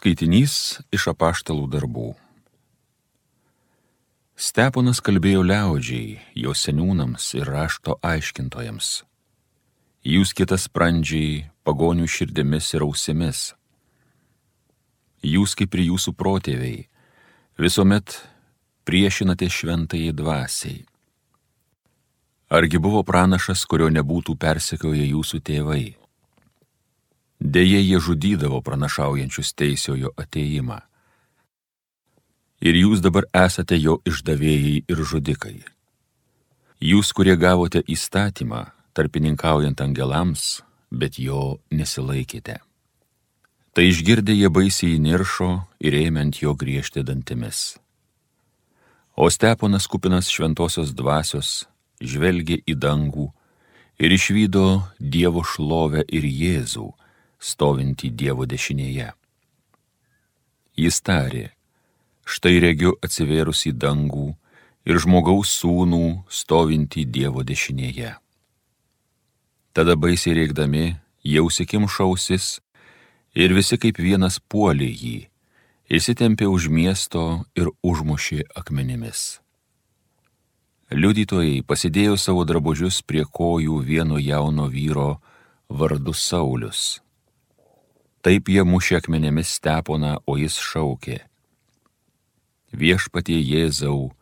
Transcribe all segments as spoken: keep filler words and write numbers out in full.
Skaitinys iš apaštalų darbų. Steponas kalbėjo liaudžiai, jo seniūnams ir rašto aiškintojams. Jūs kitas sprandžiai, pagonių širdimis ir ausimis. Jūs kaip ir jūsų protėviai, visuomet priešinate šventajai dvasiai. Argi buvo pranašas, kurio nebūtų persekioję jūsų tėvai? Deja, jie žudydavo pranašaujančius teisiojo atėjimą. Ir jūs dabar esate jo išdavėjai ir žudikai. Jūs, kurie gavote įstatymą, tarpininkaujant angelams, bet jo nesilaikėte. Tai išgirdę jie baisiai įniršo ir ėmė ant jo griežti dantimis. O Steponas, kupinas šventosios dvasios, žvelgė į dangų ir išvydo Dievo šlovę ir Jėzų, stovintį Dievo dešinėje. Jis tarė: štai regiu atsivėrus į dangų ir žmogaus sūnų stovintį Dievo dešinėje. Tada baisiai rėkdami, jie užsikimšo ausis ir visi kaip vienas puolė jį, įsitempė už miesto ir užmušė akmenimis. Liudytojai pasidėjo savo drabužius prie kojų vieno jauno vyro vardu Saulius. Taip jie mušė akmenėmis Steponą, o jis šaukė: Viešpatie Jėzau,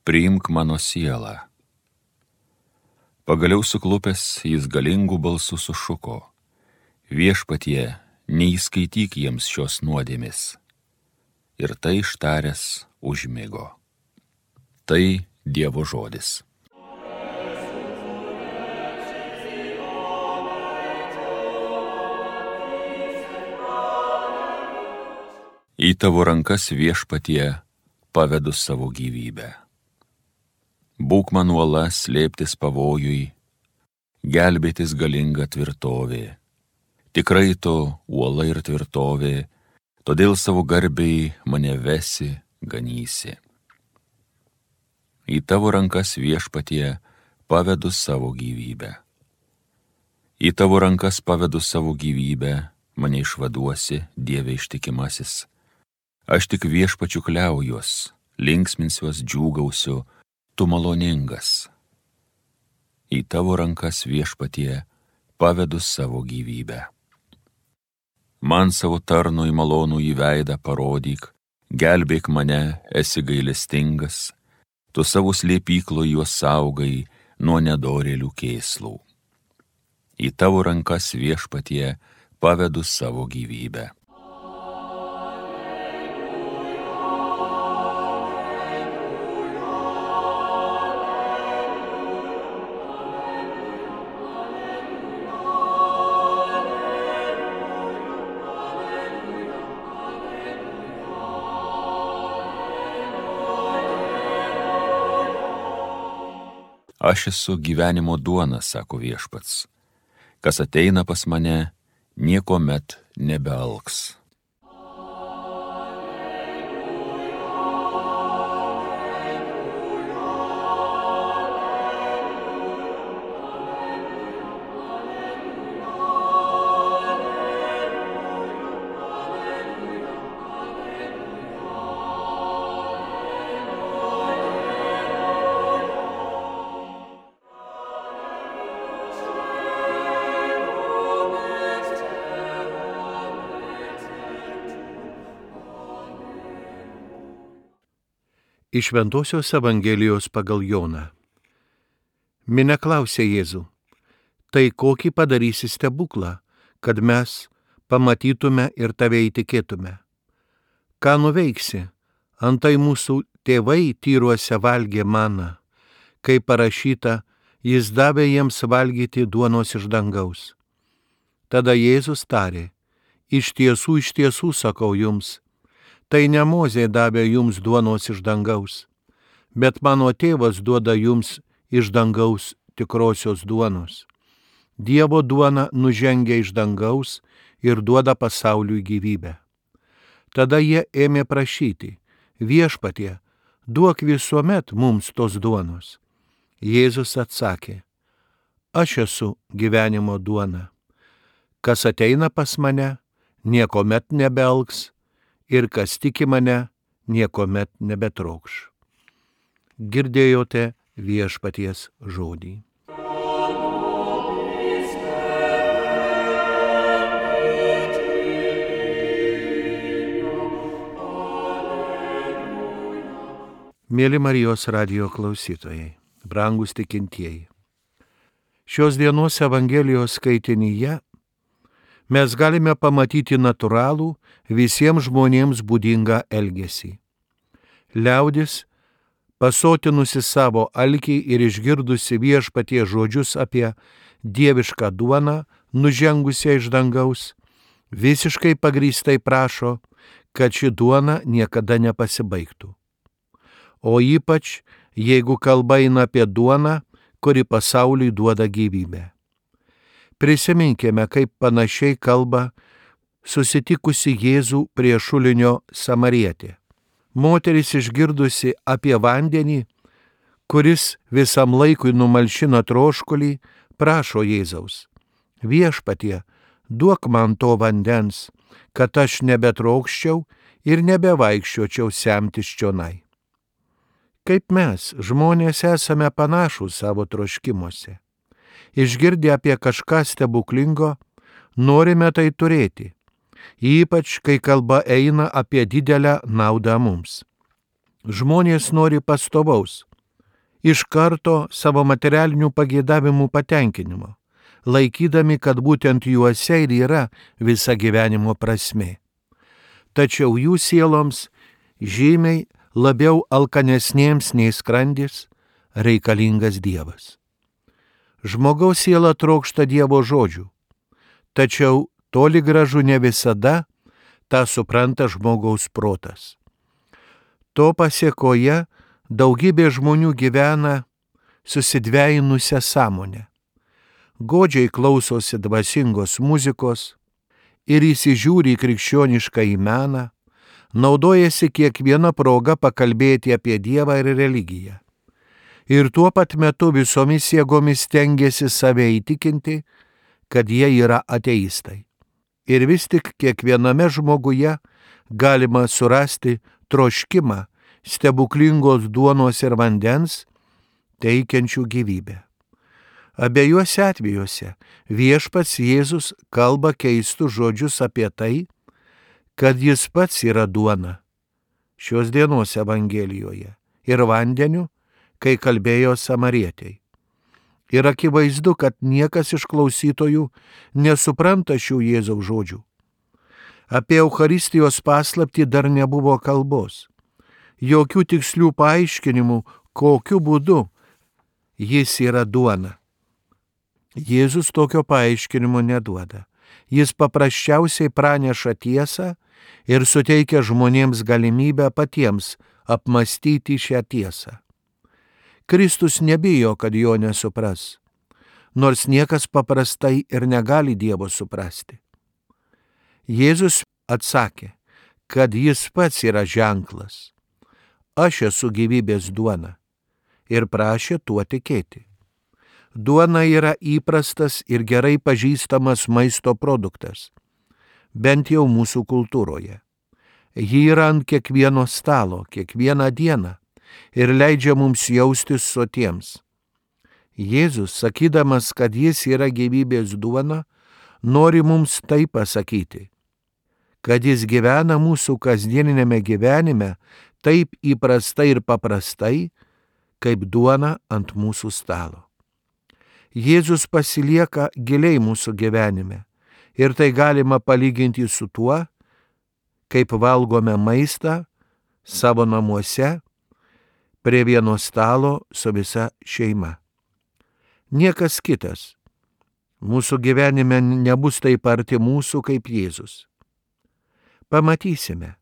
priimk mano sielą. Pagaliau suklupęs jis galingų balsų sušuko: Viešpatie, neįskaityk jiems šios nuodėmės. Ir tai ištaręs užmigo. Tai Dievo žodis. Į tavo rankas, Viešpatie, pavedu savo gyvybę. Būk man uola slėptis pavojui, gelbėtis galinga tvirtovė. Tikrai tu uola ir tvirtovė, todėl savo garbei mane vesi, ganysi. Į tavo rankas, Viešpatie, pavedu savo gyvybę. Į tavo rankas pavedu savo gyvybę, mane išvaduosi, Dieve ištikimasis. Aš tik Viešpačiu kliaujuos, linksminsiuos, džiūgausiu, tu maloningas. Į tavo rankas, Viešpatie, pavedu savo gyvybę. Man savo tarnui malonų į veidą parodyk, gelbėk mane, esi gailestingas, tu savo slėpyklo juos saugai nuo nedorėlių kėslų. Į tavo rankas, Viešpatie, pavedu savo gyvybę. Aš esu gyvenimo duona, sako Viešpats. Kas ateina pas mane, niekuomet nebealks. Iš Šventosios Evangelijos pagal Joną. Minia klausė Jėzų: tai kokį padarysi stebuklą, kad mes pamatytume ir tave įtikėtume? Ką nuveiksi? Antai mūsų tėvai tyruose valgė maną, kaip parašyta, jis davė jiems valgyti duonos iš dangaus. Tada Jėzus tarė: iš tiesų, iš tiesų sakau jums, tai ne Mozė davė jums duonos iš dangaus, bet mano tėvas duoda jums iš dangaus tikrosios duonos. Dievo duona nužengia iš dangaus ir duoda pasauliui gyvybę. Tada jie ėmė prašyti: Viešpatie, duok visuomet mums tos duonos. Jėzus atsakė: aš esu gyvenimo duona. Kas ateina pas mane, niekuomet nebealks, ir kas tiki mane, niekuomet nebetrokš. Girdėjote viešpaties žodį. Mėly Marijos radijo klausytojai, brangūs tikintieji. Šios dienos Evangelijos skaitinyje mes galime pamatyti natūralų visiems žmonėms būdingą elgesį. Liaudis, pasotinusi savo alkį ir išgirdusi viešpaties žodžius apie dievišką duoną, nužengusią iš dangaus, visiškai pagrįstai prašo, kad ši duona niekada nepasibaigtų. O ypač, jeigu kalba eina apie duoną, kuri pasauliui duoda gyvybę. Prisiminkime, kaip panašiai kalba susitikusi Jėzų prie šulinio Samarietė. Moteris išgirdusi apie vandenį, kuris visam laikui numalšina troškulį, prašo Jėzaus: Viešpatie, duok man to vandens, kad aš nebetrokščiau ir nebevaikščiočiau semtis čionai. Kaip mes, žmonės, esame panašūs savo troškimuose. Išgirdę apie kažką stebuklingo, norime tai turėti, ypač kai kalba eina apie didelę naudą mums. Žmonės nori pastovaus, iš karto savo materialinių pageidavimų patenkinimo, laikydami, kad būtent juose ir yra visa gyvenimo prasmė. Tačiau jų sieloms žymiai labiau alkanesniems nei skrandis reikalingas Dievas. Žmogaus siela trokšta Dievo žodžių, tačiau toli gražu ne visada tą supranta žmogaus protas. To pasėkoje daugybė žmonių gyvena susidvejinusią sąmonę. Godžiai klausosi dvasingos muzikos ir įsižiūri į krikščionišką į meną, naudojasi kiekvieną progą pakalbėti apie Dievą ir religiją. Ir tuo pat metu visomis jėgomis stengiasi save įtikinti, kad jie yra ateistai. Ir vis tik kiekviename žmoguje galima surasti troškimą stebuklingos duonos ir vandens, teikiančių gyvybę. Abiejuose atvejuose viešpats Jėzus kalba keistus žodžius apie tai, kad jis pats yra duona šios dienos Evangelijoje ir vandeniu, kai kalbėjo Samarietei. Ir akivaizdu, kad niekas iš klausytojų nesupranta šių Jėzaus žodžių. Apie Eucharistijos paslaptį dar nebuvo kalbos. Jokių tikslių paaiškinimų, kokiu būdu jis yra duona. Jėzus tokio paaiškinimo neduoda. Jis paprasčiausiai praneša tiesą ir suteikia žmonėms galimybę patiems apmastyti šią tiesą. Kristus nebijo, kad jo nesupras, nors niekas paprastai ir negali Dievo suprasti. Jėzus atsakė, kad jis pats yra ženklas. Aš esu gyvybės duona, ir prašė tuo tikėti. Duona yra įprastas ir gerai pažįstamas maisto produktas, bent jau mūsų kultūroje. Ji yra ant kiekvieno stalo, kiekvieną dieną ir leidžia mums jaustis sotiems. Jėzus, sakydamas, kad jis yra gyvybės duona, nori mums tai pasakyti, kad jis gyvena mūsų kasdieninėme gyvenime taip įprastai ir paprastai, kaip duona ant mūsų stalo. Jėzus pasilieka giliai mūsų gyvenime ir tai galima palyginti su tuo, kaip valgome maistą savo namuose prie vieno stalo su visa šeima. Niekas kitas mūsų gyvenime nebus taip arti mūsų kaip Jėzus. Pamatysime,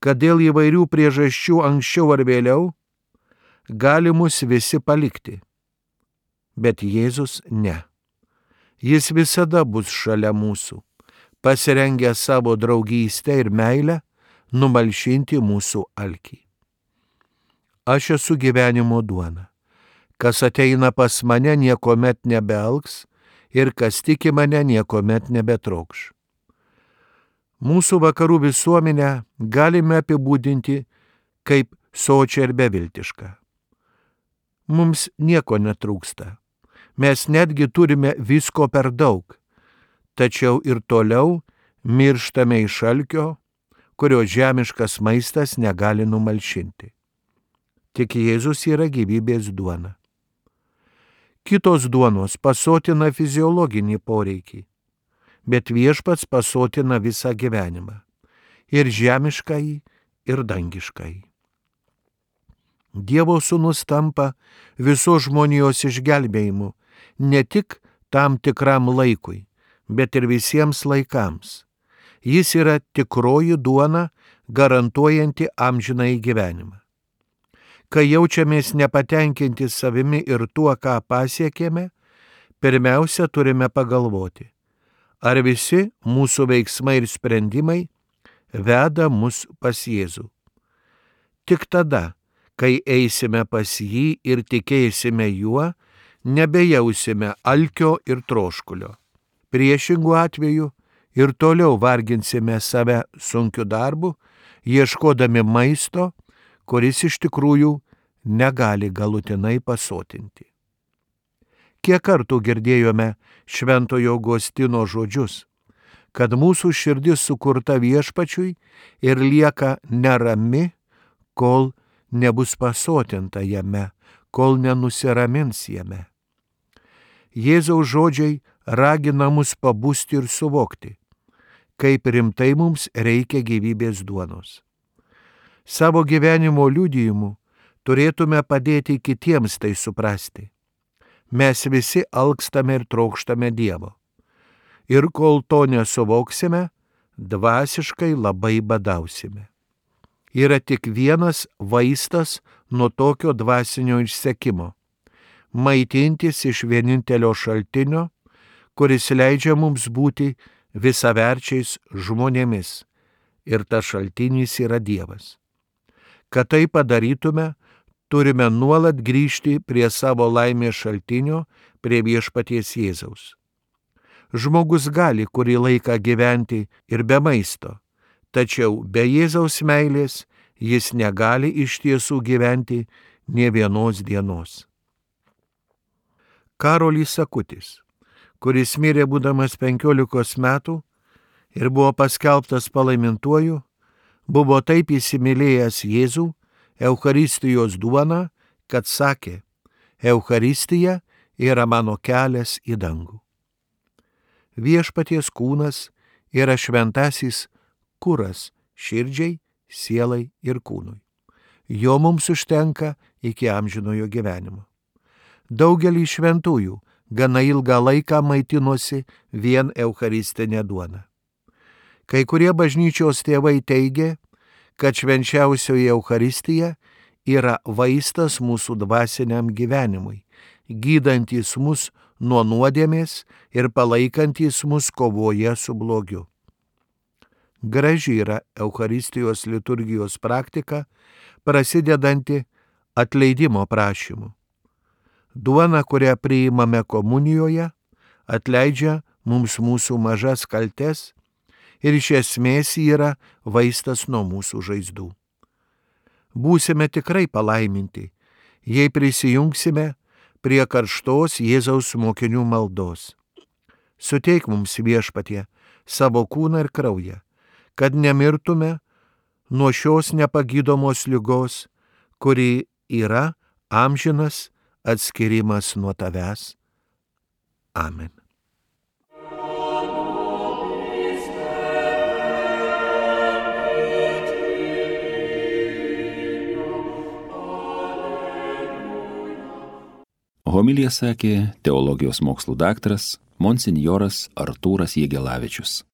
kad dėl įvairių priežasčių anksčiau ar vėliau gali mus visi palikti. Bet Jėzus ne. Jis visada bus šalia mūsų, pasirengęs savo draugystę ir meilę numalšinti mūsų alkį. Aš esu gyvenimo duona. Kas ateina pas mane, niekuomet nebealks ir kas tiki mane, niekuomet nebetrokš. Mūsų vakarų visuomenę galime apibūdinti kaip sočią ir beviltišką. Mums nieko netrūksta. Mes netgi turime visko per daug, tačiau ir toliau mirštame iš alkio, kurio žemiškas maistas negali numalšinti. Tik Jėzus yra gyvybės duona. Kitos duonos pasotina fiziologinį poreikį, bet Viešpats pasotina visą gyvenimą - ir žemiškąjį, ir dangiškąjį. Dievo Sūnus tampa visos žmonijos išgelbėjimu ne tik tam tikram laikui, bet ir visiems laikams. Jis yra tikroji duona, garantuojanti amžinąjį gyvenimą. Kai jaučiamės nepatenkinti savimi ir tuo, ką pasiekėme, pirmiausia turime pagalvoti, ar visi mūsų veiksmai ir sprendimai veda mus pas Jėzų. Tik tada, kai eisime pas jį ir tikėsime juo, nebejausime alkio ir troškulio. Priešingų atveju ir toliau varginsime save sunkiu darbu, ieškodami maisto, kuris iš tikrųjų negali galutinai pasotinti. Kiek kartų girdėjome Šventojo Augustino žodžius, kad mūsų širdis sukurta Viešpačiui ir lieka nerami, kol nebus pasotinta jame, kol nenusiramins jame. Jėzaus žodžiai ragina mus pabusti ir suvokti, kaip rimtai mums reikia gyvybės duonos. Savo gyvenimo liudijimu turėtume padėti kitiems tai suprasti. Mes visi alkstame ir trokštame Dievo. Ir kol to nesuvoksime, dvasiškai labai badausime. Yra tik vienas vaistas nuo tokio dvasinio išsekimo - maitintis iš vienintelio šaltinio, kuris leidžia mums būti visaverčiais žmonėmis, ir tas šaltinis yra Dievas. Kad tai padarytume, turime nuolat grįžti prie savo laimės šaltinio, prie Viešpaties Jėzaus. Žmogus gali kurį laiką gyventi ir be maisto, tačiau be Jėzaus meilės jis negali iš tiesų gyventi nė vienos dienos. Karolis Akutis, kuris mirė būdamas penkiolikos metų ir buvo paskelbtas palaimintuoju, buvo taip įsimylėjęs Jėzų, Eucharistijos duoną, kad sakė: Eucharistija yra mano kelias į dangų. Viešpaties kūnas yra šventasis kuras širdžiai, sielai ir kūnui. Jo mums užtenka iki amžinojo gyvenimo. Daugelį šventųjų gana ilgą laiką maitinosi vien eucharistinė duona. Kai kurie bažnyčios tėvai teigia, kad švenčiausioji Eucharistija yra vaistas mūsų dvasiniam gyvenimui, gydantis mus nuo nuodėmės ir palaikantis mus kovoje su blogiu. Graži yra Eucharistijos liturgijos praktika, prasidedanti atleidimo prašymu. Duona, kurią priimame komunijoje, atleidžia mums mūsų mažas kaltes ir iš esmės yra vaistas nuo mūsų žaizdų. Būsime tikrai palaiminti, jei prisijungsime prie karštos Jėzaus mokinių maldos. Suteik mums, Viešpatie, savo kūną ir kraują, kad nemirtume nuo šios nepagydomos ligos, kuri yra amžinas atskirimas nuo tavęs. Amen. Homiliją sakė teologijos mokslų daktaras monsinjoras Artūras Jegelavičius.